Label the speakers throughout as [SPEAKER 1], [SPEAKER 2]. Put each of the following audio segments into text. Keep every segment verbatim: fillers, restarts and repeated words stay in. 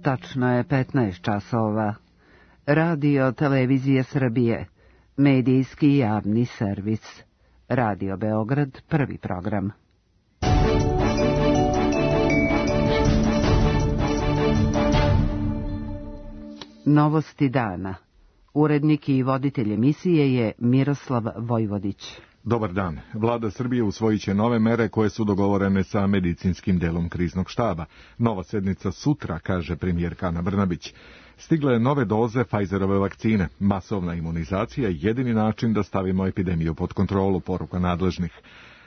[SPEAKER 1] Tačno je petnaest časova. Radio Televizije Srbije, medijski javni servis. Radio Beograd, prvi program. Novosti dana. Urednik i voditelj emisije je Miroslav Vojvodić.
[SPEAKER 2] Dobar dan. Vlada Srbije usvojit će nove mere koje su dogovorene sa medicinskim delom kriznog štaba. Nova sednica sutra, kaže premijerka Ana Brnabić. Stigle nove doze Pfizerove vakcine. Masovna imunizacija je jedini način da stavimo epidemiju pod kontrolu, poruka nadležnih.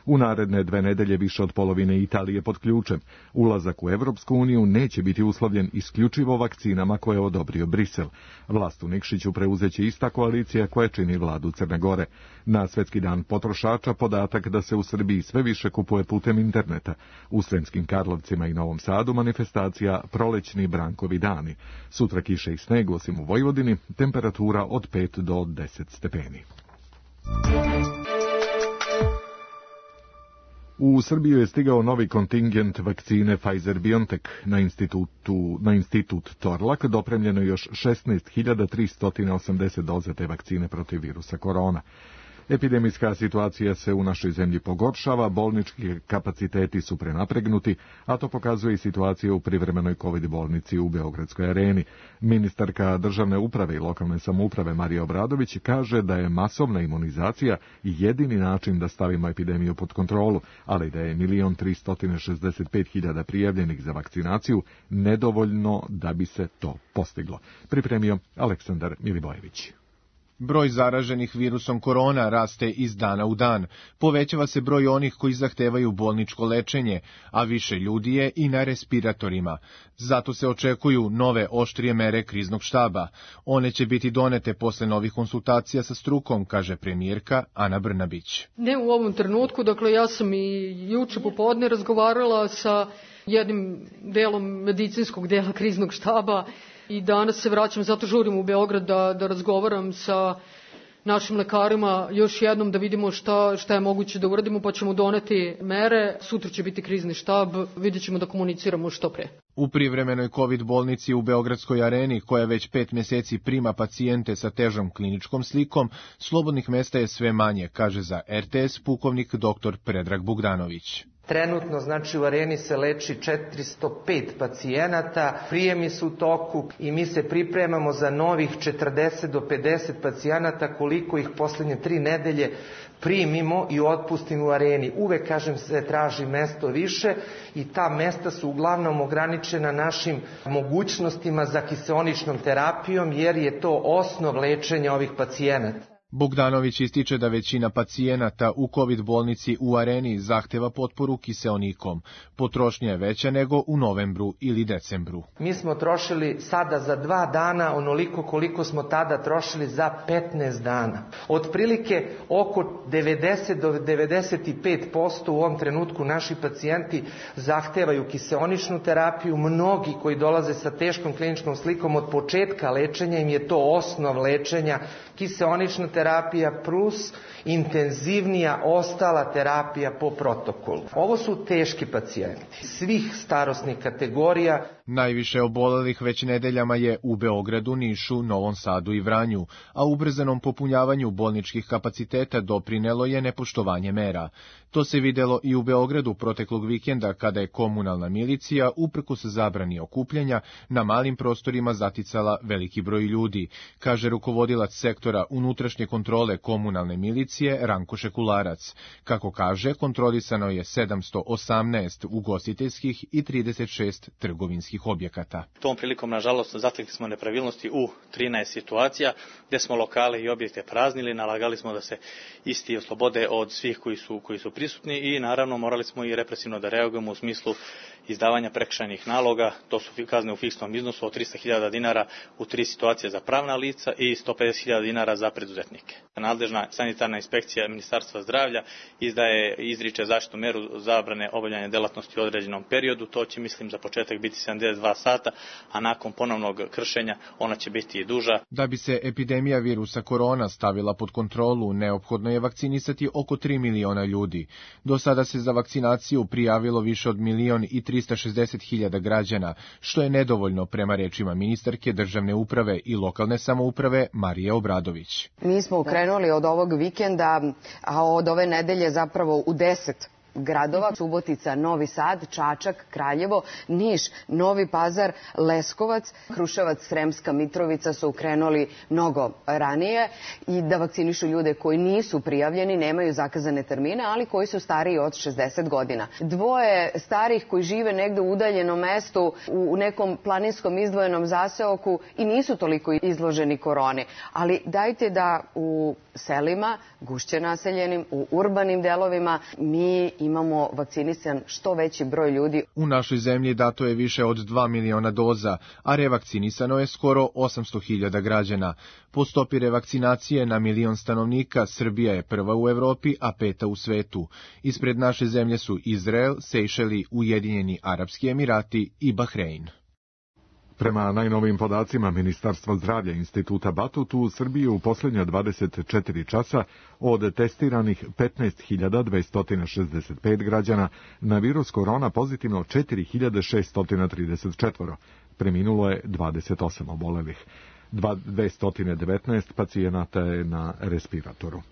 [SPEAKER 2] U naredne dve nedelje više od polovine Italije pod ključem. Ulazak u Evropsku uniju neće biti uslovljen isključivo vakcinama koje je odobrio Brisel. Vlast u Nikšiću preuzeće ista koalicija koja čini vladu Crne Gore. Na Svetski dan potrošača podatak da se u Srbiji sve više kupuje putem interneta. U Sremskim Karlovcima i Novom Sadu manifestacija Prolećni Brankovi dani. Sutra kiše i sneg, osim u Vojvodini, temperatura od pet do deset stepeni. U Srbiju je stigao novi kontingent vakcine Pfizer-BioNTech. Na institutu, na institut Torlak dopremljeno još šesnaest hiljada tristo osamdeset doza te vakcine protiv virusa korona. Epidemijska situacija se u našoj zemlji pogoršava, bolnički kapaciteti su prenapregnuti, a to pokazuje i situacija u privremenoj kovid bolnici u Beogradskoj areni. Ministarka državne uprave i lokalne samouprave Marija Obradović kaže da je masovna imunizacija jedini način da stavimo epidemiju pod kontrolu, ali da je milion tristo šezdeset pet hiljada prijavljenih za vakcinaciju nedovoljno da bi se to postiglo. Pripremio Aleksandar Milivojević.
[SPEAKER 3] Broj zaraženih virusom korona raste iz dana u dan. Povećava se broj onih koji zahtevaju bolničko lečenje, a više ljudi je i na respiratorima. Zato se očekuju nove oštrije mere kriznog štaba. One će biti donete posle novih konsultacija sa strukom, kaže premijerka Ana Brnabić.
[SPEAKER 4] Ne u ovom trenutku, dakle ja sam i juče popodne razgovarala sa jednim delom medicinskog dela kriznog štaba, i danas se vraćam, zato žurim u Beograd da, da razgovaram sa našim lekarima još jednom da vidimo šta, šta je moguće da uradimo, pa ćemo doneti mere. Sutra će biti krizni štab, vidjet ćemo da komuniciramo što pre.
[SPEAKER 3] U privremenoj kovid bolnici u Beogradskoj areni, koja već pet mjeseci prima pacijente sa težom kliničkom slikom, slobodnih mesta je sve manje, kaže za er te es pukovnik doktor Predrag Bogdanović.
[SPEAKER 5] Trenutno, znači, u areni se leči četiristo pet pacijenata, prijemi su u toku i mi se pripremamo za novih četrdeset do pedeset pacijenata, koliko ih posljednje tri nedelje primimo i otpustimo u areni. Uvek, kažem, se traži mesto više i ta mesta su uglavnom ograničena našim mogućnostima za kiseoničnom terapijom, jer je to osnov lečenja ovih pacijenata.
[SPEAKER 3] Bogdanović ističe da većina pacijenata u kovid bolnici u areni zahteva potporu kiseonikom. Potrošnja je veća nego u novembru ili decembru.
[SPEAKER 5] Mi smo trošili sada za dva dana onoliko koliko smo tada trošili za petnaest dana. Otprilike oko devedeset do devedeset pet posto u ovom trenutku naši pacijenti zahtevaju kiseoničnu terapiju. Mnogi koji dolaze sa teškom kliničkom slikom od početka lečenja, im je to osnov lečenja, kiseonična terapija plus intenzivnija ostala terapija po protokolu. Ovo su teški pacijenti svih starosnih kategorija.
[SPEAKER 3] Najviše obolelih već nedeljama je u Beogradu, Nišu, Novom Sadu i Vranju, a ubrzanom popunjavanju bolničkih kapaciteta doprinelo je nepoštovanje mera. To se videlo i u Beogradu proteklog vikenda, kada je komunalna milicija, uprkos zabrani okupljanja, na malim prostorima zaticala veliki broj ljudi, kaže rukovodilac sektora unutrašnje kontrole komunalne milicije Ranko Šekularac. Kako kaže, kontrolisano je sedamsto osamnaest ugostiteljskih i trideset šest trgovinskih objekata.
[SPEAKER 6] Tom prilikom, nažalost, zatekli smo nepravilnosti u trinaest situacija, gde smo lokale i objekte praznili, nalagali smo da se isti oslobode od svih koji su, koji su prisutni i naravno morali smo i represivno da reagujemo u smislu izdavanja prekršajnih naloga. To su kazne u fiksnom iznosu od trista hiljada dinara u tri situacije za pravna lica i sto pedeset hiljada dinara dinara za preduzetnike. Nadležna sanitarna inspekcija Ministarstva zdravlja izdaje izriče zaštitnu meru zabrane obavljanja delatnosti u određenom periodu. To će, mislim, za početak biti sedamdeset dva sata, a nakon ponovnog kršenja ona će biti i duža.
[SPEAKER 3] Da bi se epidemija virusa korona stavila pod kontrolu, neophodno je vakcinisati oko tri miliona ljudi. Do sada se za vakcinaciju prijavilo više od milion i trista šezdeset hiljada građana, što je nedovoljno prema rečima ministarke državne uprave i lokalne samouprave Marije Obradović.
[SPEAKER 7] Mi smo krenuli od ovog vikenda, a od ove nedelje zapravo u deset gradova: Subotica, Novi Sad, Čačak, Kraljevo, Niš, Novi Pazar, Leskovac, Kruševac, Sremska Mitrovica su krenuli mnogo ranije i da vakcinišu ljude koji nisu prijavljeni, nemaju zakazane termine, ali koji su stariji od šezdeset godina. Dvoje starih koji žive negde u udaljenom mestu, u nekom planinskom izdvojenom zaseoku i nisu toliko izloženi koroni. Ali dajte da u selima, gušće naseljenim, u urbanim delovima, mi imamo vakcinisan što veći broj ljudi.
[SPEAKER 3] U našoj zemlji dato je više od dva miliona doza, a revakcinisano je skoro osamsto hiljada građana. Po stopi revakcinacije na milion stanovnika Srbija je prva u Evropi, a peta u svetu. Ispred naše zemlje su Izrael, Sejšeli, Ujedinjeni Arapski Emirati i Bahrein.
[SPEAKER 2] Prema najnovijim podacima Ministarstva zdravlja Instituta Batut, u Srbiji u posljednja dvadeset četiri časa od testiranih petnaest hiljada dvesta šezdeset pet građana na virus korona pozitivno četiri hiljade šeststo trideset četiri. Preminulo je dvadeset osam obolelih. dvesta devetnaest pacijenata je na respiratoru.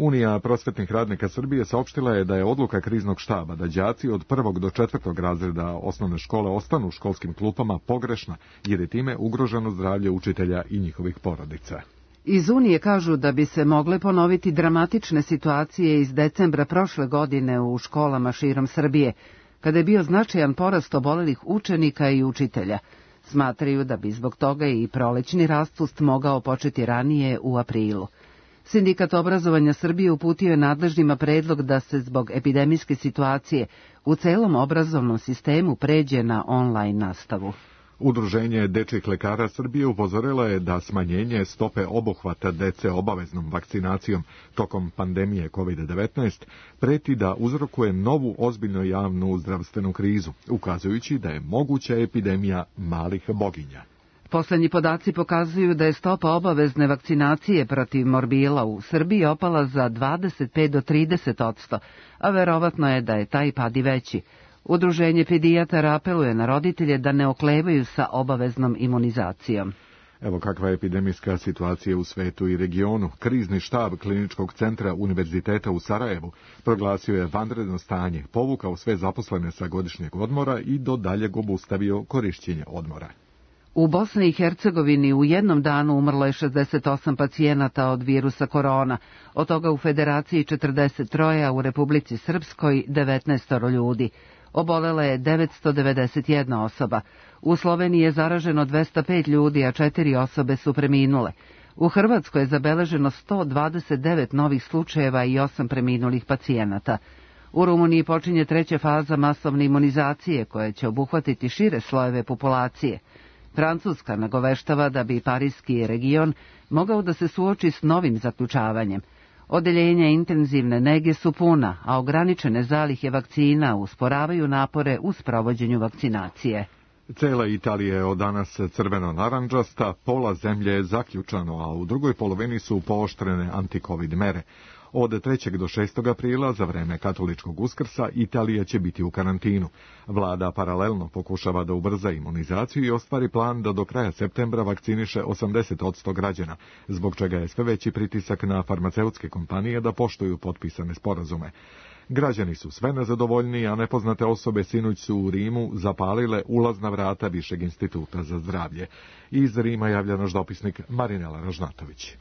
[SPEAKER 2] Unija prosvetnih radnika Srbije saopštila je da je odluka kriznog štaba da đaci od prvog do četvrtog razreda osnovne škole ostanu u školskim klupama pogrešna, jer je time ugroženo zdravlje učitelja i njihovih porodica.
[SPEAKER 1] Iz Unije kažu da bi se mogle ponoviti dramatične situacije iz decembra prošle godine u školama širom Srbije, kada je bio značajan porast obolelih učenika i učitelja. Smatraju da bi zbog toga i prolećni raspust mogao početi ranije u aprilu. Sindikat obrazovanja Srbije uputio je nadležnima predlog da se zbog epidemijske situacije u celom obrazovnom sistemu pređe na online nastavu.
[SPEAKER 2] Udruženje dečjih lekara Srbije upozorilo je da smanjenje stope obuhvata dece obaveznom vakcinacijom tokom pandemije kovid devetnaest preti da uzrokuje novu ozbiljnu javnu zdravstvenu krizu, ukazujući da je moguća epidemija malih boginja.
[SPEAKER 1] Poslednji podaci pokazuju da je stopa obavezne vakcinacije protiv morbila u Srbiji opala za dvadeset pet do trideset odsto, a verovatno je da je taj pad i veći. Udruženje pedijatara apeluje na roditelje da ne oklevaju sa obaveznom imunizacijom.
[SPEAKER 2] Evo kakva je epidemijska situacija u svetu i regionu. Krizni štab Kliničkog centra Univerziteta u Sarajevu proglasio je vanredno stanje, povukao sve zaposlene sa godišnjeg odmora i do daljeg obustavio korišćenje odmora.
[SPEAKER 1] U Bosni i Hercegovini u jednom danu umrlo je šezdeset osam pacijenata od virusa korona, od toga u Federaciji četrdeset tri, a u Republici Srpskoj devetnaest ljudi. Obolela je devetsto devedeset jedna osoba. U Sloveniji je zaraženo dvesta pet ljudi, a četiri osobe su preminule. U Hrvatskoj je zabeleženo sto dvadeset devet novih slučajeva i osam preminulih pacijenata. U Rumuniji počinje treća faza masovne imunizacije koja će obuhvatiti šire slojeve populacije. Francuska nagoveštava da bi parijski region mogao da se suoči s novim zaključavanjem. Odeljenja intenzivne nege su puna, a ograničene zalihe vakcina usporavaju napore u sprovođenju vakcinacije.
[SPEAKER 2] Cela Italija je od danas crveno-naranđasta, pola zemlje je zaključano, a u drugoj polovini su pooštrene antikovid mere. Od trećeg do šestog aprila, za vreme katoličkog Uskrsa, Italija će biti u karantinu. Vlada paralelno pokušava da ubrza imunizaciju i ostvari plan da do kraja septembra vakciniše osamdeset odsto građana, zbog čega je sve veći pritisak na farmaceutske kompanije da poštuju potpisane sporazume. Građani su sve nezadovoljniji, a nepoznate osobe sinoć su u Rimu zapalile ulazna vrata Višeg instituta za zdravlje. Iz Rima javlja naš dopisnik Marinela Ražnatović.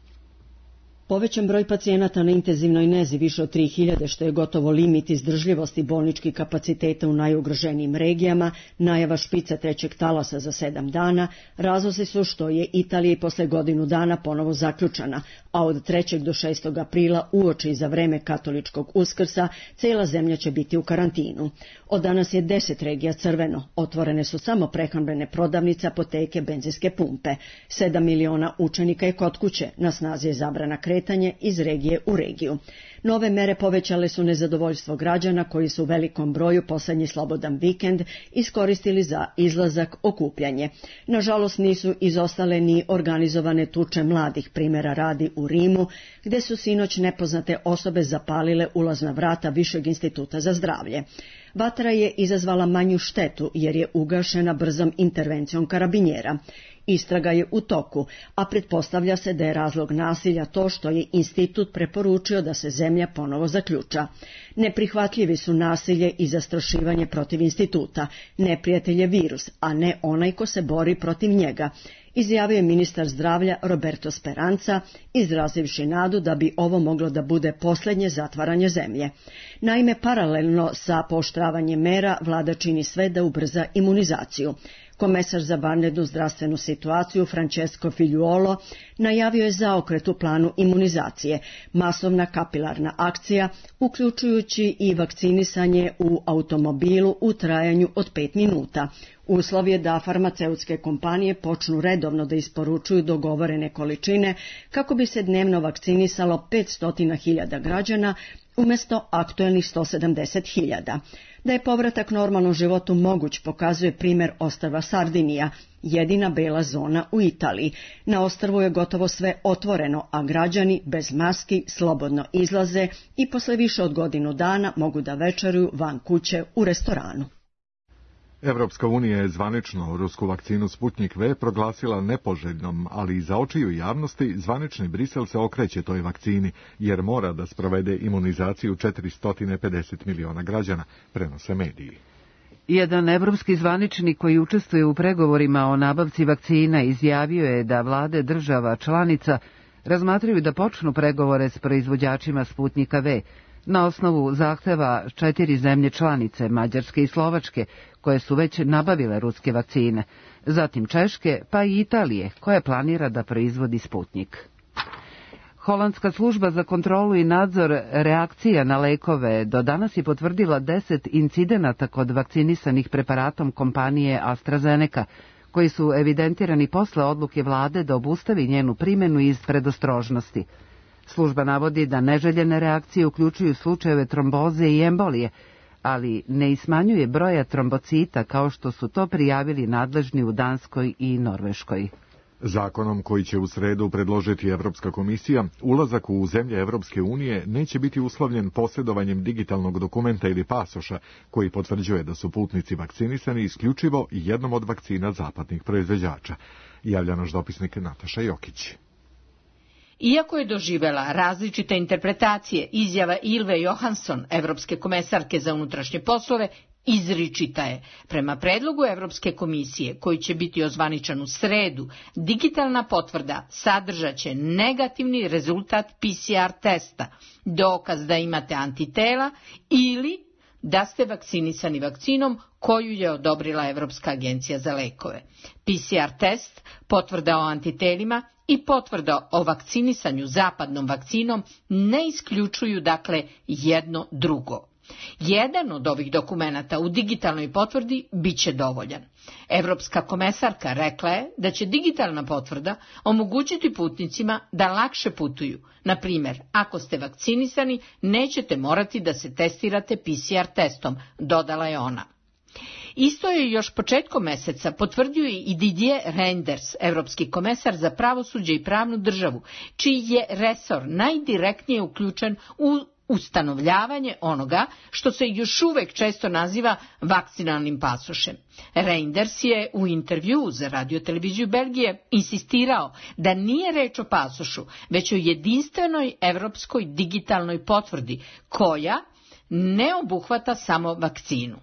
[SPEAKER 8] Povećan broj pacijenata na intenzivnoj nezi više od tri hiljade, što je gotovo limit izdržljivosti bolničkih kapaciteta u najugroženijim regijama, najava špica trećeg talasa za sedam dana, razlozi su što je Italija i posle godinu dana ponovo zaključana, a od trećeg do šestog aprila uoči za vreme katoličkog Uskrsa cela zemlja će biti u karantinu. Od danas je deset regija crveno, otvorene su samo prehrambene prodavnice, apoteke, benzinske pumpe. Sedam miliona učenika je kod kuće, na snazi je zabrana kretanje iz regije u regiju. Nove mere povećale su nezadovoljstvo građana koji su u velikom broju poslednji slobodan vikend iskoristili za izlazak, okupljanje. Nažalost nisu izostale ni organizovane tuče mladih, primjera radi u Rimu, gde su sinoć nepoznate osobe zapalile ulazna vrata Višeg instituta za zdravlje. Vatra je izazvala manju štetu jer je ugašena brzom intervencijom karabinjera. Istraga je u toku, a pretpostavlja se da je razlog nasilja to što je institut preporučio da se zemlja ponovo zaključa. Neprihvatljivi su nasilje i zastrašivanje protiv instituta. Neprijatelj je virus, a ne onaj ko se bori protiv njega, izjavio je ministar zdravlja Roberto Speranza, izrazivši nadu da bi ovo moglo da bude poslednje zatvaranje zemlje. Naime, paralelno sa pooštravanjem mera, vlada čini sve da ubrza imunizaciju. Komesar za vanrednu zdravstvenu situaciju Francesco Figliuolo najavio je zaokret u planu imunizacije, masovna kapilarna akcija, uključujući i vakcinisanje u automobilu u trajanju od pet minuta. Uslov je da farmaceutske kompanije počnu redovno da isporučuju dogovorene količine kako bi se dnevno vakcinisalo petsto hiljada građana umjesto aktuelnih sto sedamdeset hiljada. Da je povratak normalnom životu moguć pokazuje primjer ostrva Sardinija, jedina bela zona u Italiji. Na ostrvu je gotovo sve otvoreno, a građani bez maski slobodno izlaze i posle više od godinu dana mogu da večeruju van kuće u restoranu.
[SPEAKER 2] Evropska unija je zvanično rusku vakcinu Sputnik V proglasila nepoželjnom, ali i za očiju javnosti zvanični Brisel se okreće toj vakcini, jer mora da sprovede imunizaciju četiristo pedeset miliona građana, prenose mediji.
[SPEAKER 1] Jedan evropski zvaničnik koji učestvuje u pregovorima o nabavci vakcina izjavio je da vlade država članica razmatraju da počnu pregovore s proizvođačima Sputnika V, na osnovu zahteva četiri zemlje članice, Mađarske i Slovačke, koje su već nabavile ruske vakcine, zatim Češke, pa i Italije, koja planira da proizvodi Sputnik. Holandska služba za kontrolu i nadzor reakcija na lekove do danas je potvrdila deset incidenata kod vakcinisanih preparatom kompanije AstraZeneca, koji su evidentirani posle odluke vlade da obustavi njenu primjenu iz predostrožnosti. Služba navodi da neželjene reakcije uključuju slučajeve tromboze i embolije, ali ne ismanjuje broja trombocita kao što su to prijavili nadležni u Danskoj i Norveškoj.
[SPEAKER 2] Zakonom koji će u sredu predložiti Evropska komisija, ulazak u zemlje Evropske unije neće biti uslovljen posjedovanjem digitalnog dokumenta ili pasoša koji potvrđuje da su putnici vakcinisani isključivo jednom od vakcina zapadnih proizvođača. Javlja naš dopisnik Nataša Jokić.
[SPEAKER 9] Iako je doživela različite interpretacije, izjava Ilve Johansson, evropske komesarke za unutrašnje poslove, izričita je. Prema predlogu Evropske komisije, koji će biti ozvaničan u sredu, digitalna potvrda sadržaće negativni rezultat P C R testa, dokaz da imate antitela ili da ste vakcinisani vakcinom koju je odobrila Evropska agencija za lekove. P C R test, potvrda o antitelima i potvrda o vakcinisanju zapadnom vakcinom ne isključuju dakle jedno drugo. Jedan od ovih dokumenata u digitalnoj potvrdi bit će dovoljan. Evropska komesarka rekla je da će digitalna potvrda omogućiti putnicima da lakše putuju. Na primjer, ako ste vakcinisani, nećete morati da se testirate P C R testom, dodala je ona. Isto je još početkom meseca potvrdio i Didier Reynders, evropski komesar za pravosuđe i pravnu državu, čiji je resor najdirektnije uključen u ustanovljavanje onoga što se još uvek često naziva vakcinalnim pasošem. Reynders je u intervjuu za radioteleviziju Belgije insistirao da nije reč o pasošu, već o jedinstvenoj evropskoj digitalnoj potvrdi, koja ne obuhvata samo vakcinu.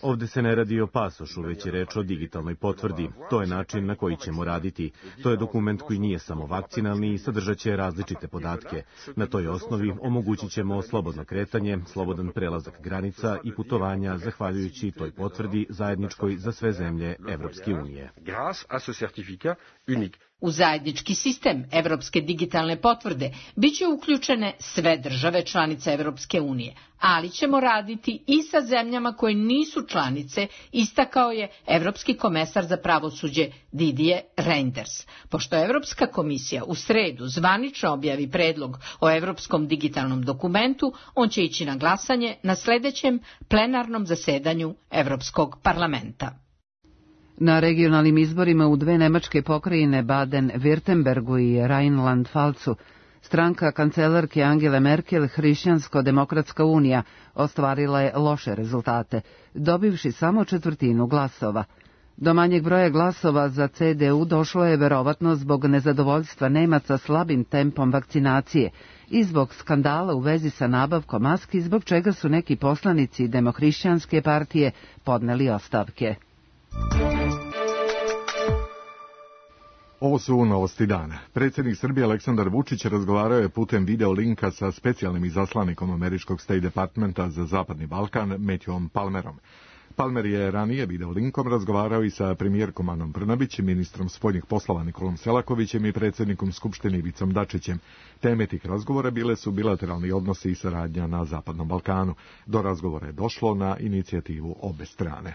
[SPEAKER 10] Ovdje se ne radi o pasošu, već je reč o digitalnoj potvrdi. To je način na koji ćemo raditi. To je dokument koji nije samo vakcinalni i sadržat će različite podatke. Na toj osnovi omogućit ćemo slobodno kretanje, slobodan prelazak granica i putovanja zahvaljujući toj potvrdi zajedničkoj za sve zemlje Evropske unije.
[SPEAKER 9] U zajednički sistem evropske digitalne potvrde biće uključene sve države članice Evropske unije, ali ćemo raditi i sa zemljama koje nisu članice, istakao je Evropski komesar za pravosuđe Didier Reynders. Pošto Evropska komisija u sredu zvanično objavi predlog o evropskom digitalnom dokumentu, on će ići na glasanje na sledećem plenarnom zasedanju Evropskog parlamenta.
[SPEAKER 1] Na regionalnim izborima u dve nemačke pokrajine Baden-Württembergu i Rheinland-Pfalzu stranka kancelarke Angele Merkel, Hrišćansko-demokratska unija, ostvarila je loše rezultate, dobivši samo četvrtinu glasova. Do manjeg broja glasova za C D U došlo je verovatno zbog nezadovoljstva Nemaca slabim tempom vakcinacije i zbog skandala u vezi sa nabavkom maski, zbog čega su neki poslanici Demohrišćanske partije podneli ostavke.
[SPEAKER 2] Ovo su novosti dana. Predsjednik Srbije Aleksandar Vučić razgovarao je putem video linka sa specijalnim izaslanikom američkog State Departmenta za Zapadni Balkan, Matthewom Palmerom. Palmer je ranije video linkom razgovarao i sa premijerkom Anom Brnabić, ministrom spoljnih poslova Nikolom Selakovićem i predsjednikom Skupštine Ivicom Dačićem. Teme tih razgovora bile su bilateralni odnosi i saradnja na Zapadnom Balkanu. Do razgovora je došlo na inicijativu obe strane.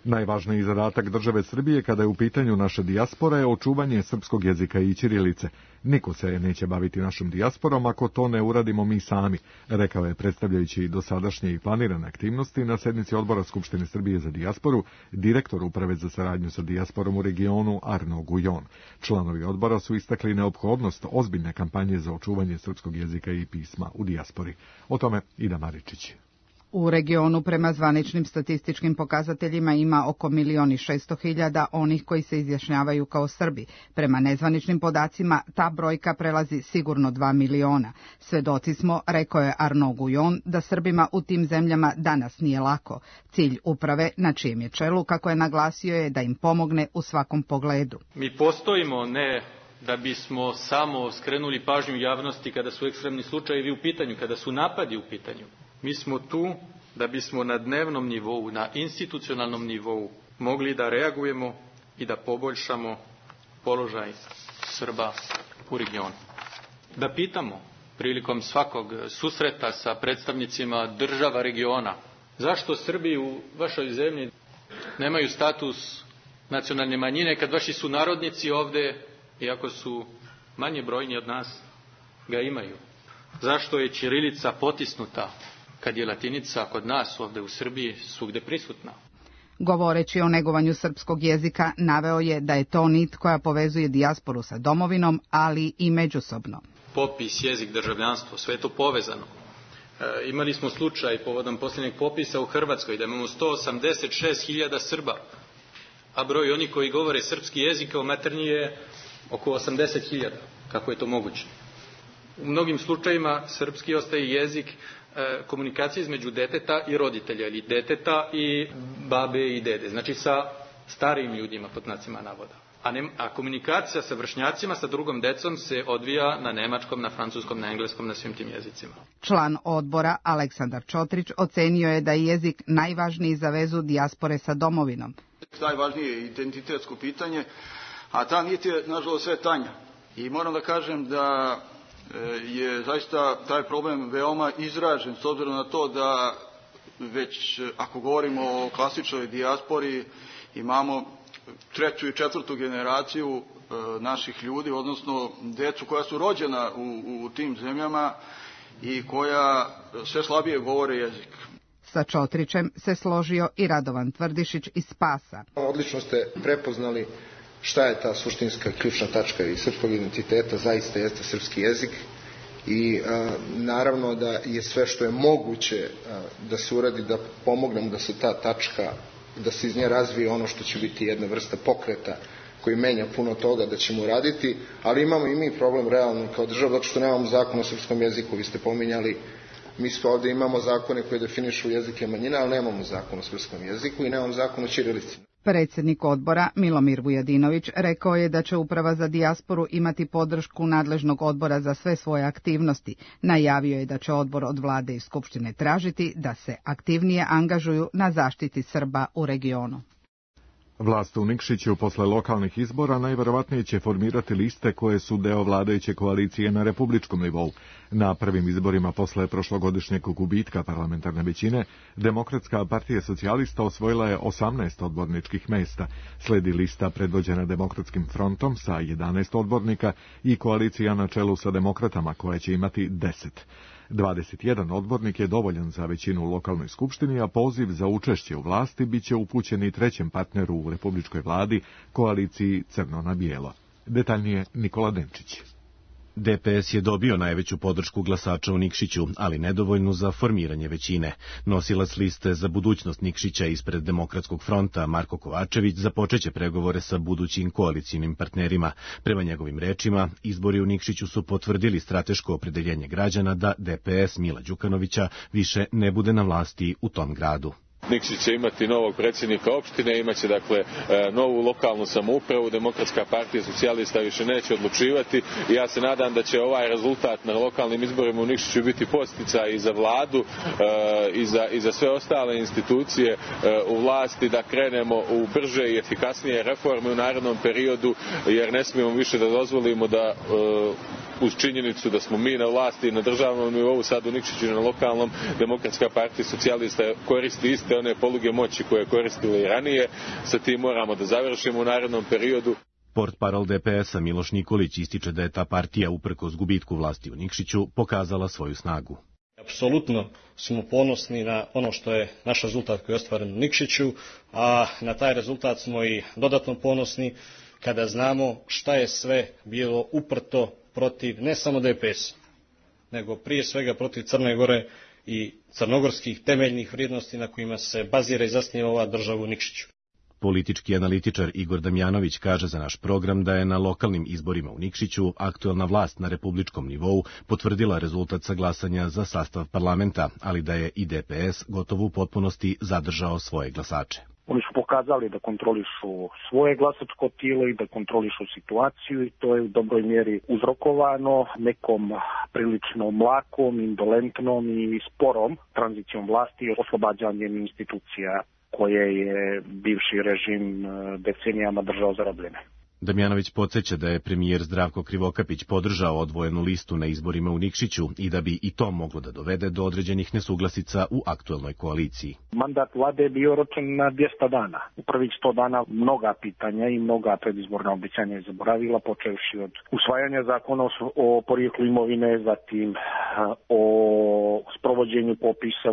[SPEAKER 2] Najvažniji zadatak države Srbije kada je u pitanju naša dijaspora je očuvanje srpskog jezika i ćirilice. Niko se neće baviti našom dijasporom ako to ne uradimo mi sami, rekao je predstavljajući dosadašnje i planirane aktivnosti na sednici Odbora Skupštine Srbije za dijasporu, direktor Uprave za saradnju sa dijasporom u regionu Arno Gujon. Članovi odbora su istakli neophodnost ozbiljne kampanje za očuvanje srpskog jezika i pisma u dijaspori. O tome Ida Maričić.
[SPEAKER 11] U regionu prema zvaničnim statističkim pokazateljima ima oko milion i šesto hiljada onih koji se izjašnjavaju kao Srbi. Prema nezvaničnim podacima ta brojka prelazi sigurno dva miliona. Svedoci smo, rekao je Arno Gujon, da Srbima u tim zemljama danas nije lako. Cilj uprave, na čijem je čelu, kako je naglasio, je da im pomogne u svakom pogledu.
[SPEAKER 12] Mi postojimo ne da bismo samo skrenuli pažnju javnosti kada su ekstremni slučajevi u pitanju, kada su napadi u pitanju. Mi smo tu da bismo na dnevnom nivou, na institucionalnom nivou mogli da reagujemo i da poboljšamo položaj Srba u regionu. Da pitamo prilikom svakog susreta sa predstavnicima država regiona, zašto Srbi u vašoj zemlji nemaju status nacionalne manjine kad vaši sunarodnici ovde, iako su manje brojni od nas, ga imaju? Zašto je ćirilica potisnuta kad je latinica kod nas ovde u Srbiji svugde prisutna?
[SPEAKER 11] Govoreći o negovanju srpskog jezika, naveo je da je to nit koja povezuje dijasporu sa domovinom, ali i međusobno.
[SPEAKER 12] Popis, jezik, državljanstvo, sve je to povezano. E, imali smo slučaj povodom posljednjeg popisa u Hrvatskoj da imamo sto osamdeset šest hiljada Srba, a broj onih koji govore srpski jezik kao maternji je oko osamdeset hiljada. Kako je to moguće? U mnogim slučajima srpski ostaje jezik komunikacije između deteta i roditelja ili deteta i babe i dede, znači sa starijim ljudima pod znacima navoda. A, ne, a komunikacija sa vršnjacima, sa drugom decom se odvija na nemačkom, na francuskom, na engleskom, na svim tim jezicima.
[SPEAKER 11] Član odbora Aleksandar Čotrić ocenio je da je jezik najvažniji za vezu dijaspore sa domovinom.
[SPEAKER 13] Najvažnije je identitetsko pitanje, a ta nit je nažalost sve tanja. I moram da kažem da je zaista taj problem veoma izražen s obzirom na to da već ako govorimo o klasičnoj dijaspori imamo treću i četvrtu generaciju naših ljudi, odnosno decu koja su rođena u, u tim zemljama i koja sve slabije govore jezik.
[SPEAKER 11] Sa Čotrićem se složio i Radovan Tvrdišić iz Spasa.
[SPEAKER 14] Odlično ste prepoznali šta je ta suštinska ključna tačka i srpskog identiteta, zaista jeste srpski jezik i a, naravno da je sve što je moguće a, da se uradi, da pomognemo da se ta tačka, da se iz nje razvije ono što će biti jedna vrsta pokreta koji menja puno toga da ćemo uraditi, ali imamo i mi problem realno kao država, zato što nemamo zakon o srpskom jeziku, vi ste pominjali, mi smo ovde imamo zakone koje definišu jezike manjina, ali nemamo zakon o srpskom jeziku i nemamo zakon o ćirilici.
[SPEAKER 11] Predsjednik odbora Milomir Vujadinović rekao je da će Uprava za dijasporu imati podršku nadležnog odbora za sve svoje aktivnosti. Najavio je da će odbor od vlade i Skupštine tražiti da se aktivnije angažuju na zaštiti Srba u regionu.
[SPEAKER 2] Vlast u Nikšiću posle lokalnih izbora najverovatnije će formirati liste koje su deo vladajuće koalicije na republičkom nivou. Na prvim izborima posle prošlogodišnjeg gubitka parlamentarne većine, Demokratska partija socijalista osvojila je osamnaest odborničkih mesta, sledi lista predvođena Demokratskim frontom sa jedanaest odbornika i koalicija na čelu sa demokratama koja će imati deset. dvadeset jedan odbornik je dovoljan za većinu u lokalnoj skupštini, a poziv za učešće u vlasti biće upućen i trećem partneru u republičkoj vladi, koaliciji Crno na bijelo. Detaljnije Nikola Denčić.
[SPEAKER 10] D P S je dobio najveću podršku glasača u Nikšiću, ali nedovoljnu za formiranje većine. Nosilac liste za budućnost Nikšića ispred Demokratskog fronta Marko Kovačević započeće pregovore sa budućim koalicijnim partnerima. Prema njegovim rečima, izbori u Nikšiću su potvrdili strateško opredeljenje građana da D P S Mila Đukanovića više ne bude na vlasti u tom gradu.
[SPEAKER 15] Nikšić će imati novog predsjednika opštine, imaće dakle novu lokalnu samoupravu, Demokratska partija socijalista više neće odlučivati i ja se nadam da će ovaj rezultat na lokalnim izborima u Nikšiću biti podsticaj i za vladu i za, i za sve ostale institucije u vlasti da krenemo u brže i efikasnije reforme u narednom periodu, jer ne smijemo više da dozvolimo da uz činjenicu da smo mi na vlasti na državnom nivou, sad u Nikšiću i na lokalnom, Demokratska partija socijalista koristi iste one poluge moći koje je koristila i ranije. Sa tim moramo da završimo u narednom periodu.
[SPEAKER 10] Portparol D P S-a Miloš Nikolić ističe da je ta partija uprkos gubitku vlasti u Nikšiću pokazala svoju snagu.
[SPEAKER 16] Apsolutno smo ponosni na ono što je naš rezultat koji je ostvaren u Nikšiću, a na taj rezultat smo i dodatno ponosni kada znamo šta je sve bilo uprto protiv ne samo D P S, nego prije svega protiv Crne Gore i crnogorskih temeljnih vrijednosti na kojima se bazira i zasniva ova država u Nikšiću.
[SPEAKER 10] Politički analitičar Igor Damjanović kaže za naš program da je na lokalnim izborima u Nikšiću aktuelna vlast na republičkom nivou potvrdila rezultat sa glasanja za sastav parlamenta, ali da je i D P S gotovo u potpunosti zadržao svoje glasače.
[SPEAKER 17] Oni su pokazali da kontrolišu svoje glasačko tijelo i da kontrolišu situaciju i to je u dobroj mjeri uzrokovano nekom prilično mlakom, indolentnom i sporom tranzicijom vlasti i oslobađanjem institucija koje je bivši režim decenijama držao zarobljene.
[SPEAKER 10] Damjanović podsjeća da je premijer Zdravko Krivokapić podržao odvojenu listu na izborima u Nikšiću i da bi i to moglo da dovede do određenih nesuglasica u aktuelnoj koaliciji.
[SPEAKER 17] Mandat vlade je bio oročen na dvjesto dana. U prvih sto dana mnoga pitanja i mnoga predizborna obećanja je zaboravila, počevši od usvajanja zakona o porijeklu imovine, zatim o sprovođenju popisa.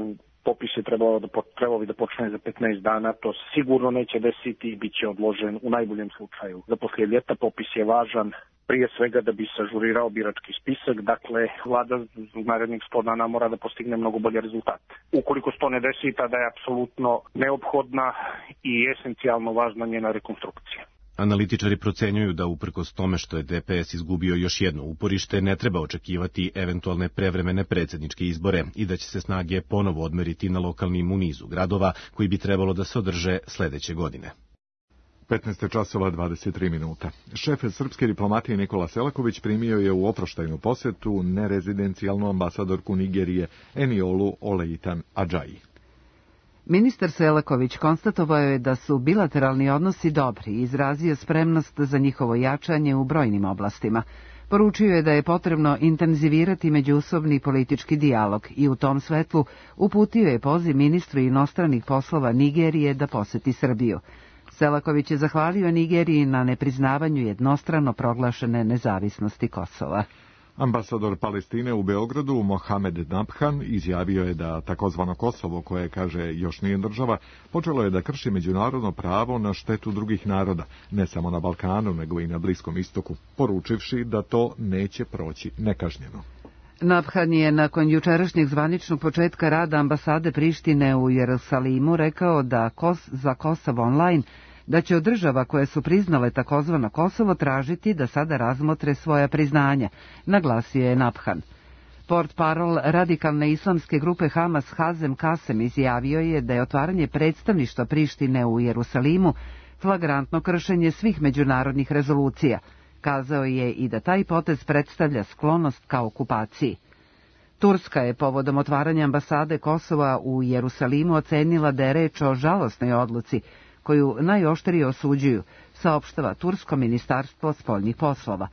[SPEAKER 17] Popis je trebao da, trebao bi da počne za petnaest dana, to sigurno neće desiti i bit će odložen u najboljem slučaju. Za poslije ljeta popis je važan prije svega da bi se ažurirao birački spisak, dakle vlada u narednih sto dana mora da postigne mnogo bolje rezultate. Ukoliko se to ne desi, tada je apsolutno neophodna i esencijalno važna njena rekonstrukcija.
[SPEAKER 10] Analitičari procenjuju da uprkos tome što je D P S izgubio još jedno uporište, ne treba očekivati eventualne prevremene predsjedničke izbore i da će se snage ponovo odmeriti na lokalnim u nizu gradova koji bi trebalo da se održe sledeće godine.
[SPEAKER 2] petnaest časova dvadeset tri minuta. Šef srpske diplomatije Nikola Selaković primio je u oproštajnu posjetu nerezidencijalnu ambasadorku Nigerije Eniolu Oleitan Adžaji.
[SPEAKER 1] Ministar Selaković konstatovao je da su bilateralni odnosi dobri i izrazio spremnost za njihovo jačanje u brojnim oblastima. Poručio je da je potrebno intenzivirati međusobni politički dijalog i u tom svetlu uputio je poziv ministru inostranih poslova Nigerije da poseti Srbiju. Selaković je zahvalio Nigeriji na nepriznavanju jednostrano proglašene nezavisnosti Kosova.
[SPEAKER 2] Ambasador Palestine u Beogradu, Mohamed Nabhan, izjavio je da takozvano Kosovo, koje kaže još nije država, počelo je da krši međunarodno pravo na štetu drugih naroda, ne samo na Balkanu, nego i na Bliskom istoku, poručivši da to neće proći nekažnjeno.
[SPEAKER 1] Nabhan je nakon jučerašnjeg zvaničnog početka rada ambasade Prištine u Jerusalimu rekao da Kos za Kosovo online da će od država koje su priznale takozvano Kosovo tražiti da sada razmotre svoja priznanja, naglasio je Nabhan. Portparol radikalne islamske grupe Hamas Hazem Kasem izjavio je da je otvaranje predstavništva Prištine u Jerusalimu flagrantno kršenje svih međunarodnih rezolucija. Kazao je i da taj potez predstavlja sklonost ka okupaciji. Turska je povodom otvaranja ambasade Kosova u Jerusalimu ocenila da je reč o žalosnoj odluci, koju najoštrije osuđuju, saopštava Tursko ministarstvo spoljnih poslova.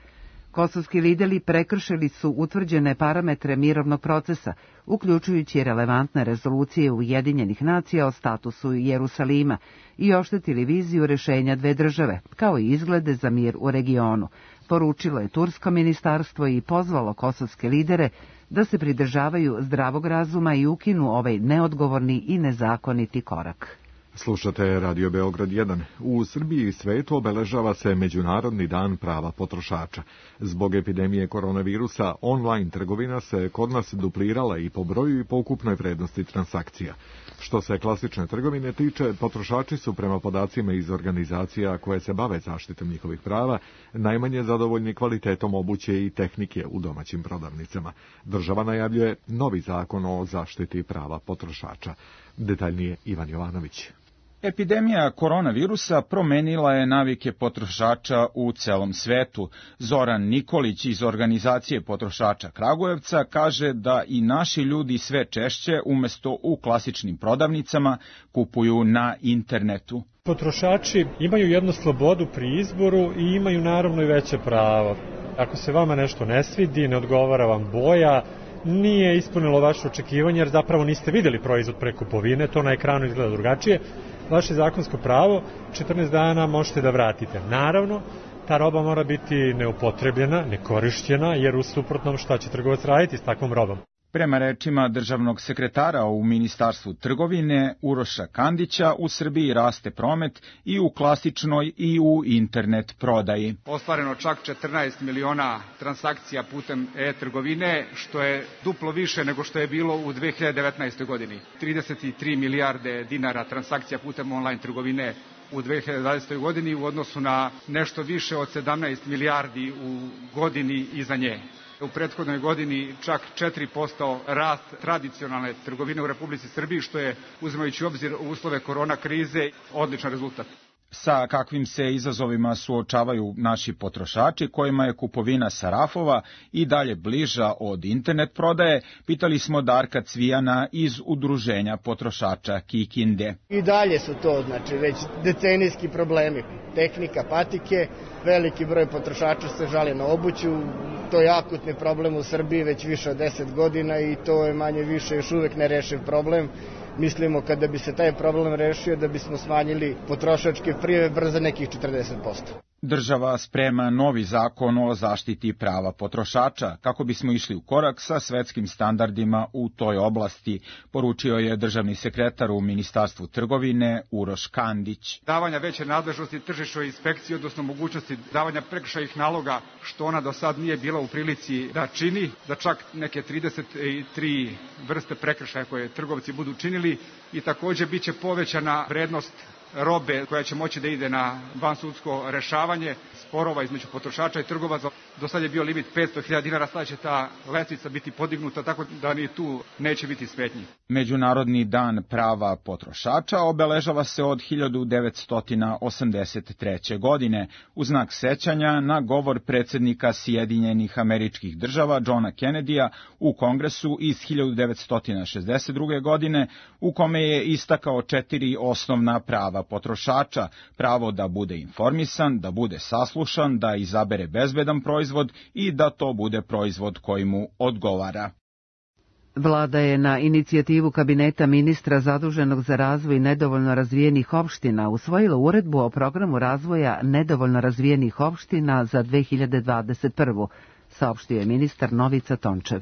[SPEAKER 1] Kosovski lideri prekršili su utvrđene parametre mirovnog procesa, uključujući relevantne rezolucije Ujedinjenih nacija o statusu Jerusalima i oštetili viziju rešenja dve države, kao i izglede za mir u regionu, poručilo je Tursko ministarstvo i pozvalo kosovske lidere da se pridržavaju zdravog razuma i ukinu ovaj neodgovorni i nezakoniti korak.
[SPEAKER 2] Slušate Radio Beograd jedan. U Srbiji i svetu obeležava se Međunarodni dan prava potrošača. Zbog epidemije koronavirusa, online trgovina se kod nas duplirala i po broju i po ukupnoj vrednosti transakcija. Što se klasične trgovine tiče, potrošači su prema podacima iz organizacija koje se bave zaštitom njihovih prava najmanje zadovoljni kvalitetom obuće i tehnike u domaćim prodavnicama. Država najavljuje novi zakon o zaštiti prava potrošača. Detaljnije Ivan Jovanović.
[SPEAKER 18] Epidemija koronavirusa promenila je navike potrošača u celom svetu. Zoran Nikolić iz organizacije potrošača Kragujevca kaže da i naši ljudi sve češće umesto u klasičnim prodavnicama kupuju na internetu.
[SPEAKER 19] Potrošači imaju jednu slobodu pri izboru i imaju naravno i veće pravo. Ako se vama nešto ne svidi, ne odgovara vam boja, nije ispunilo vaše očekivanje jer zapravo niste vidjeli proizvod pre kupovine, to na ekranu izgleda drugačije, vaše zakonsko pravo, četrnaest dana možete da vratite. Naravno, ta roba mora biti neupotrebljena, nekorišćena, jer u suprotnom šta će trgovac raditi s takvom robom?
[SPEAKER 18] Prema rečima državnog sekretara u Ministarstvu trgovine Uroša Kandića, u Srbiji raste promet i u klasičnoj i u internet prodaji.
[SPEAKER 20] Ostvareno čak četrnaest miliona transakcija putem e-trgovine, što je duplo više nego što je bilo u dve hiljade devetnaestoj. godini. trideset tri milijarde dinara transakcija putem online trgovine u dve hiljade dvadesetoj. godini u odnosu na nešto više od sedamnaest milijardi u godini iza nje. U prethodnoj godini čak četiri posto rast tradicionalne trgovine u Republici Srbiji, što je, uzimajući u obzir uslove korona krize, odličan rezultat.
[SPEAKER 18] Sa kakvim se izazovima suočavaju naši potrošači, kojima je kupovina sa rafova i dalje bliža od internet prodaje, pitali smo Darka Cvijana iz Udruženja potrošača Kikinde.
[SPEAKER 21] I dalje su to, znači, već decenijski problemi. Tehnika, patike, veliki broj potrošača se žali na obuću, to je akutni problem u Srbiji već više od deset godina i to je manje više još uvek nerešiv problem. Mislimo kada bi se taj problem rešio da bismo smanjili potrošačke prijave bar za nekih četrdeset posto.
[SPEAKER 18] Država sprema novi zakon o zaštiti prava potrošača kako bismo išli u korak sa svetskim standardima u toj oblasti, poručio je državni sekretar u Ministarstvu trgovine Uroš Kandić.
[SPEAKER 20] Davanja veće nadležnosti tržišnoj inspekciji, odnosno mogućnosti davanja prekršajnih naloga, što ona do sad nije bila u prilici da čini, da čak neke trideset tri vrste prekršaja koje trgovci budu činili, i takođe biće povećana vrednost robe koja će moći da ide na vansudsko rešavanje sporova između potrošača i trgovaca. Do sad je bio limit petsto hiljada dinara, sada će ta lestvica biti podignuta, tako da ni tu neće biti smetnji.
[SPEAKER 18] Međunarodni dan prava potrošača obeležava se od hiljadu devetsto osamdeset treće. godine u znak sećanja na govor predsjednika Sjedinjenih Američkih Država Johna Kennedyja u Kongresu iz hiljadu devetsto šezdeset druge. godine, u kome je istakao četiri osnovna prava potrošača: pravo da bude informisan, da bude saslušan, da izabere bezbedan proizvod i da to bude proizvod koji mu odgovara.
[SPEAKER 1] Vlada je na inicijativu kabineta ministra zaduženog za razvoj nedovoljno razvijenih opština usvojila uredbu o programu razvoja nedovoljno razvijenih opština za dve hiljade dvadeset prvu. saopštio je ministar Novica Tončev.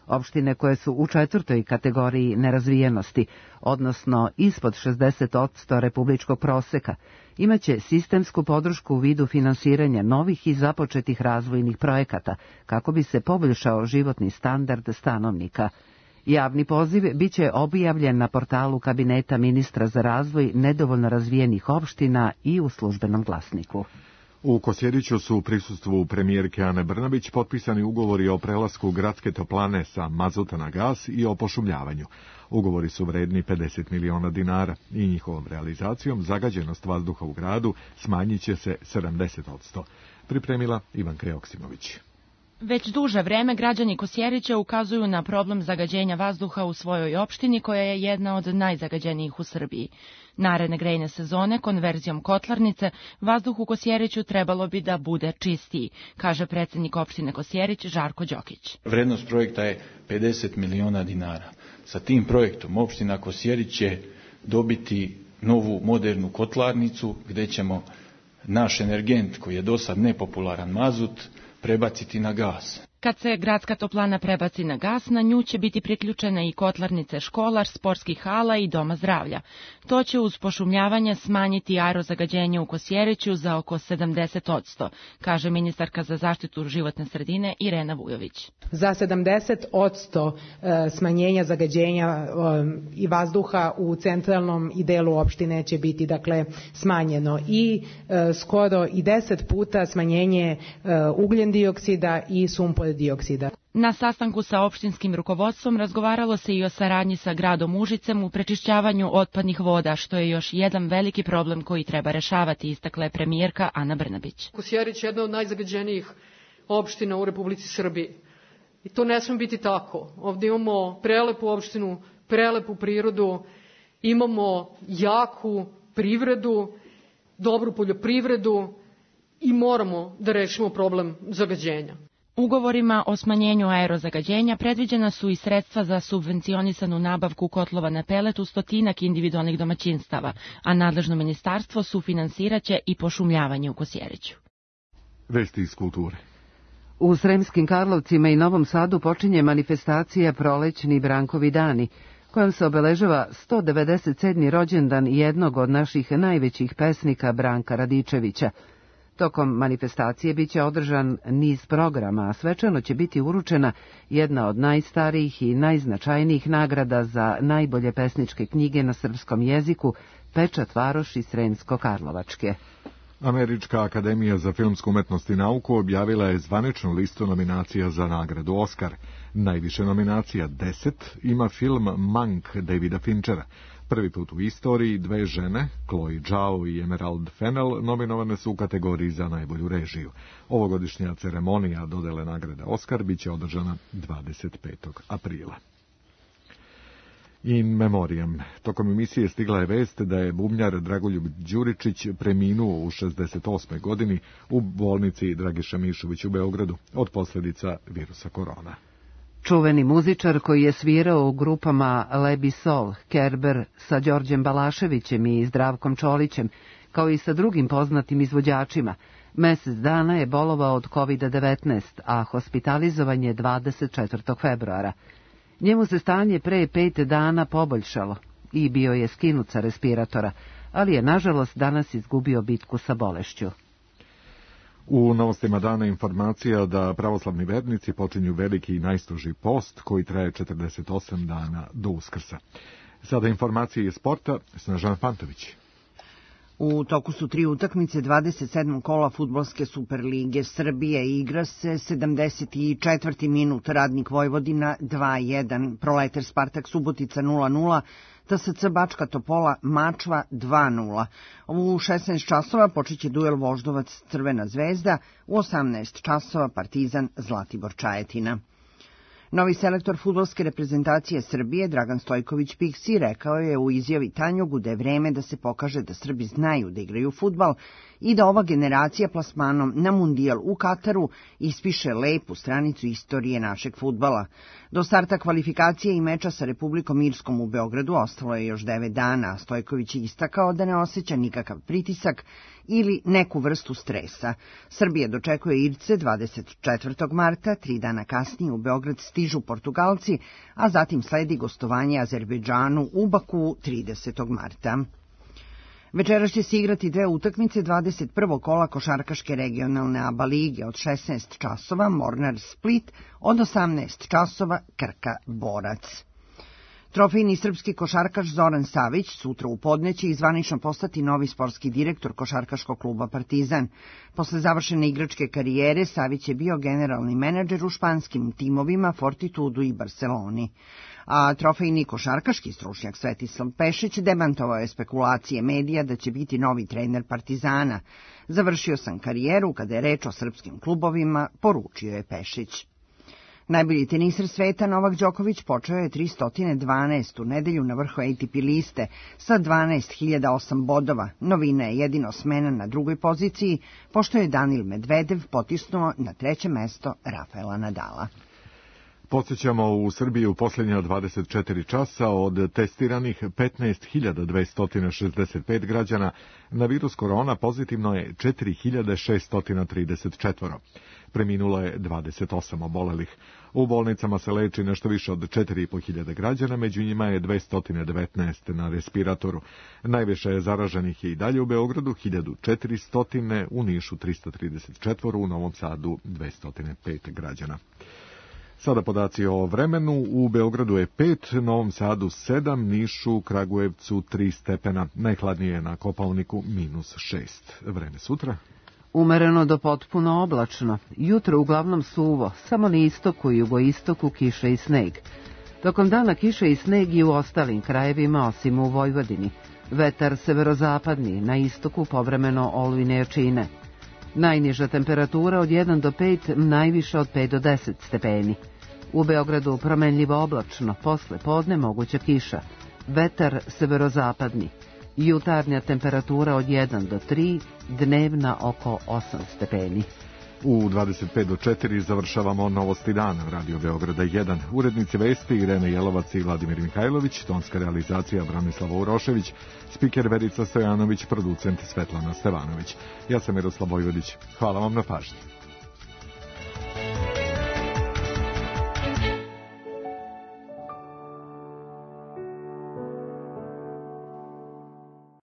[SPEAKER 1] Opštine koje su u četvrtoj kategoriji nerazvijenosti, odnosno ispod šezdeset posto republičkog proseka, imaće sistemsku podršku u vidu finansiranja novih i započetih razvojnih projekata kako bi se poboljšao životni standard stanovnika. Javni poziv biće objavljen na portalu kabineta ministra za razvoj nedovoljno razvijenih opština i u službenom glasniku.
[SPEAKER 2] U Kosjeriću su u prisustvu premijerke Ane Brnabić potpisani ugovori o prelasku gradske toplane sa mazuta na gas i o pošumljavanju. Ugovori su vredni pedeset miliona dinara i njihovom realizacijom zagađenost vazduha u gradu smanjit će se sedamdeset posto. Pripremila Ivanka Joksimović.
[SPEAKER 4] Već duže vreme građani Kosjerića ukazuju na problem zagađenja vazduha u svojoj opštini, koja je jedna od najzagađenijih u Srbiji. Naredne grejne sezone, konverzijom kotlarnice, vazduh u Kosjeriću trebalo bi da bude čistiji, kaže predsednik opštine Kosjerić Žarko Đokić.
[SPEAKER 22] Vrednost projekta je pedeset miliona dinara. Sa tim projektom opština Kosjerić će dobiti novu modernu kotlarnicu gde ćemo naš energent, koji je do sad nepopularan mazut, prebaciti na gas.
[SPEAKER 4] Kad se gradska toplana prebaci na gas, na nju će biti priključena i kotlarnice školar, sportskih hala i doma zdravlja. To će uz pošumljavanje smanjiti aerozagađenje u Kosjeriću za oko sedamdeset posto, kaže ministarka za zaštitu životne sredine Irena Vujović.
[SPEAKER 23] Za sedamdeset posto smanjenja zagađenja i vazduha u centralnom i delu opštine će biti dakle smanjeno i skoro i deset puta smanjenje ugljen dioksida i sumpor dioksida.
[SPEAKER 4] Na sastanku sa opštinskim rukovodstvom razgovaralo se i o saradnji sa gradom Užicem u prečišćavanju otpadnih voda, što je još jedan veliki problem koji treba rešavati, istakla je premijerka Ana Brnabić.
[SPEAKER 24] Kosjerić je jedna od najzagađenijih opština u Republici Srbiji. I to ne sme biti tako. Ovdje imamo prelepu opštinu, prelepu prirodu, imamo jaku privredu, dobru poljoprivredu i moramo da rešimo problem zagađenja.
[SPEAKER 4] Ugovorima o smanjenju aerozagađenja predviđena su i sredstva za subvencionisanu nabavku kotlova na pelet u stotinak individualnih domaćinstava, a nadležno ministarstvo sufinansiraće i pošumljavanje u Kosjeriću.
[SPEAKER 2] Vesti iz kulture.
[SPEAKER 1] U Sremskim Karlovcima i Novom Sadu počinje manifestacija Prolećni Brankovi dani, kojom se obeležava sto devedeset sedmi rođendan jednog od naših najvećih pesnika Branka Radičevića. Tokom manifestacije biće održan niz programa, a svečano će biti uručena jedna od najstarijih i najznačajnijih nagrada za najbolje pesničke knjige na srpskom jeziku, Pečat Varoši Sremsko-Karlovačke.
[SPEAKER 2] Američka akademija za filmsku umetnost i nauku objavila je zvaničnu listu nominacija za nagradu Oskar. Najviše nominacija, deset, ima film Mank Davida Finchera. Prvi put u istoriji dve žene, Chloe Zhao i Emerald Fennell, nominovane su u kategoriji za najbolju režiju. Ovogodišnja ceremonija dodele nagrade Oskar biće održana dvadeset petog aprila. In memoriam. Tokom emisije stigla je vest da je bubnjar Dragoljub Đuričić preminuo u šezdeset osmoj godini u bolnici Dragiša Mišović u Beogradu od posljedica virusa korona.
[SPEAKER 1] Čuveni muzičar koji je svirao u grupama Lebi Sol, Kerber sa Đorđem Balaševićem i Zdravkom Čolićem, kao i sa drugim poznatim izvođačima, mesec dana je bolovao od kovid devetnaest, a hospitalizovan je dvadeset četvrtog februara. Njemu se stanje pre pet dana poboljšalo i bio je skinut sa respiratora, ali je nažalost danas izgubio bitku sa bolešću.
[SPEAKER 2] U novostima dana informacija da pravoslavni vernici počinju veliki i najstroži post koji traje četrdeset osam dana do Uskrsa. Sada informacije iz sporta, Snežana Pantović.
[SPEAKER 25] U toku su tri utakmice dvadeset sedmog kola Fudbalske superlige Srbije. Igra se sedamdeset četvrti minut, Radnik Vojvodina dva jedan, Proleter Spartak Subotica nula nula, T S C Bačka Topola Mačva dva nula. U šesnaest časova počeće duel Voždovac Crvena zvezda, u osamnaest časova Partizan Zlatibor Čajetina. Novi selektor fudbalske reprezentacije Srbije, Dragan Stojković Piksi, rekao je u izjavi Tanjugu da je vreme da se pokaže da Srbi znaju da igraju fudbal i da ova generacija plasmanom na mundijal u Kataru ispiše lepu stranicu istorije našeg fudbala. Do starta kvalifikacije i meča sa Republikom Irskom u Beogradu ostalo je još devet dana, a Stojković je istakao da ne osjeća nikakav pritisak ili neku vrstu stresa. Srbija dočekuje Irce dvadeset četvrtog marta, tri dana kasnije u Beograd stižu Portugalci, a zatim sledi gostovanje Azerbejdžanu u Baku tridesetog marta. Večeras će se igrati dve utakmice dvadeset prvog kola košarkaške regionalne A B A lige od šesnaest časova, Mornar Split, od osamnaest časova Krka Borac. Trofejni srpski košarkaš Zoran Savić sutra u podne će zvanično postati novi sportski direktor košarkaškog kluba Partizan. Posle završene igračke karijere Savić je bio generalni menadžer u španskim timovima Fortitudu i Barceloni. a trofejni košarkaški stručnjak Svetislav Pešić demantovao je spekulacije medija da će biti novi trener Partizana. Završio sam karijeru kada je reč o srpskim klubovima, poručio je Pešić. Najbolji teniser sveta Novak Đoković počeo je tristo dvanaestu nedelju na vrhu A T P liste sa dvanaest hiljada osam bodova. Novina je jedino smena na drugoj poziciji, pošto je Danil Medvedev potisnuo na treće mesto Rafaela Nadala.
[SPEAKER 2] Podsjećamo, u Srbiji u posljednja dvadeset četiri časa od testiranih petnaest hiljada dvesta šezdeset pet građana na virus korona pozitivno je četiri hiljade šeststo trideset četiri. Preminulo je dvadeset osam obolelih. U bolnicama se leči nešto više od četiri i po hiljade građana, među njima je dvesta devetnaest na respiratoru. Najviše je zaraženih i dalje u Beogradu, hiljadu četiristo, u Nišu tristo trideset četiri, u Novom Sadu dvesta pet građana. Sada podaci o vremenu. U Beogradu je pet, Novom Sadu sedam, Nišu, Kragujevcu tri stepena. Najhladnije je na Kopaoniku minus šest. Vreme sutra?
[SPEAKER 1] Umereno do potpuno oblačno. Jutro uglavnom suvo, samo na istoku i jugoistoku kiša i sneg. Tokom dana kiša i sneg i u ostalim krajevima, osim u Vojvodini. Vetar severozapadni, na istoku povremeno olujne jačine. Najniža temperatura od jedan do pet, najviša od pet do deset stepeni. U Beogradu promenljivo oblačno, posle podne moguća kiša. Vetar severozapadni. Jutarnja temperatura od jedan do tri, dnevna oko osam stepeni.
[SPEAKER 2] U dvadeset pet do četiri završavamo Novosti dana, Radio Beograda jedan. Urednici vesti Irena Jelovac i Vladimir Mihajlović, tonska realizacija Branislava Urošević, spiker Verica Stojanović, producent Svetlana Stevanović. Ja sam Miroslav Vojvodić. Hvala vam na pažnji.